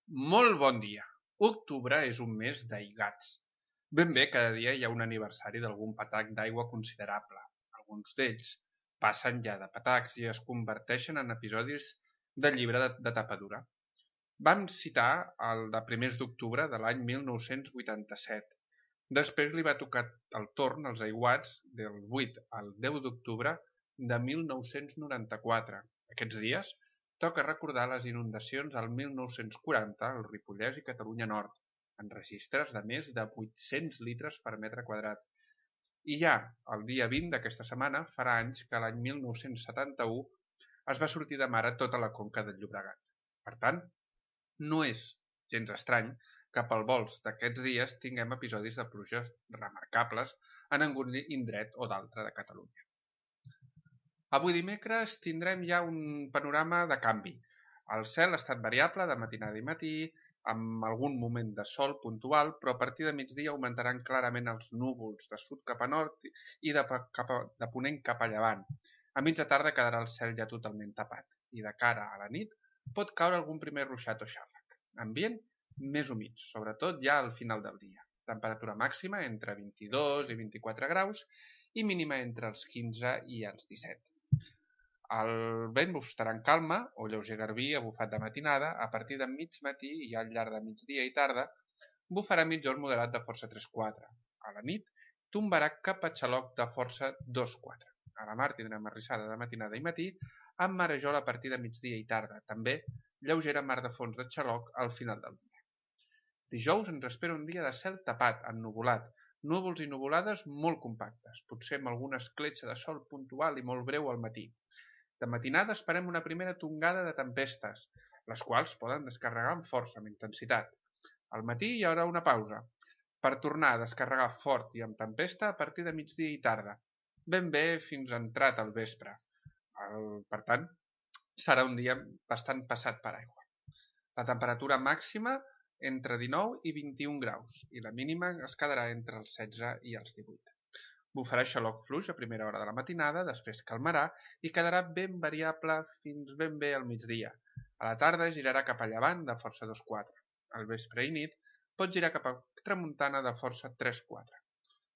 Molt bon dia. Octubre és un mes d'aigats. Ben bé cada dia hi ha un aniversari d'algun patac d'aigua considerable. Alguns d'ells passen ja de patacs i es converteixen en episodis de llibre de tapa dura. Vam citar el de primers d'octubre de l'any 1987. Després li va tocar el torn als aiguats del 8 al 10 d'octubre de 1994. Aquests dies toca recordar les inundacions al 1940 al Ripollès i Catalunya Nord, en registres de més de 800 litres per metre quadrat. I ja, el dia 20 d'aquesta setmana, farà anys que l'any 1971 es va sortir de mare tota la conca del Llobregat. Per tant, no és gens estrany que pel vols d'aquests dies tinguem episodis de pluges remarcables en algun indret o d'altre de Catalunya. Avui dimecres tindrem ja un panorama de canvi. El cel ha estat variable de matinada i matí, amb algun moment de sol puntual, però a partir de migdia augmentaran clarament els núvols de sud cap a nord i de ponent cap a llevant. A mitja tarda quedarà el cel ja totalment tapat i de cara a la nit pot caure algun primer ruixat o xàfec. Ambient més humit, sobretot ja al final del dia. Temperatura màxima entre 22 i 24 graus i mínima entre els 15 i els 17. El vent estarà en calma o lleuger garbí a bufat de matinada. A partir de mig matí i al llarg de migdia i tarda bufarà mitjorn moderat de força 3-4. A la nit tombarà cap a xaloc de força 2-4. A la mar tindrem arrissada de matinada i matí amb marejol a partir de migdia i tarda. També lleugera mar de fons de xaloc al final del dia. Dijous ens espera un dia de cel tapat, ennuvolat, núvols i nuvolades molt compactes, potser amb alguna escletxa de sol puntual i molt breu al matí. De matinada esperem una primera tongada de tempestes, les quals poden descarregar amb força, amb intensitat. Al matí hi haurà una pausa, per tornar a descarregar fort i amb tempesta a partir de migdia i tarda, ben bé fins entrat al vespre. Per tant, serà un dia bastant passat per aigua. La temperatura màxima entre 19 i 21 graus i la mínima es quedarà entre els 16 i els 18. Bufarà xaloc fluix a primera hora de la matinada, després calmarà i quedarà ben variable fins ben bé al migdia. A la tarda girarà cap a llevant de força 2-4. Al vespre i nit pot girar cap a tramuntana de força 3-4.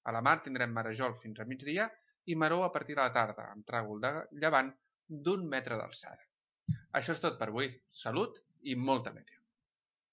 A la mar tindrem marejol fins a migdia i maror a partir de la tarda, amb tràgol de llevant d'1 metre d'alçada. Això és tot per avui. Salut i molta meteo.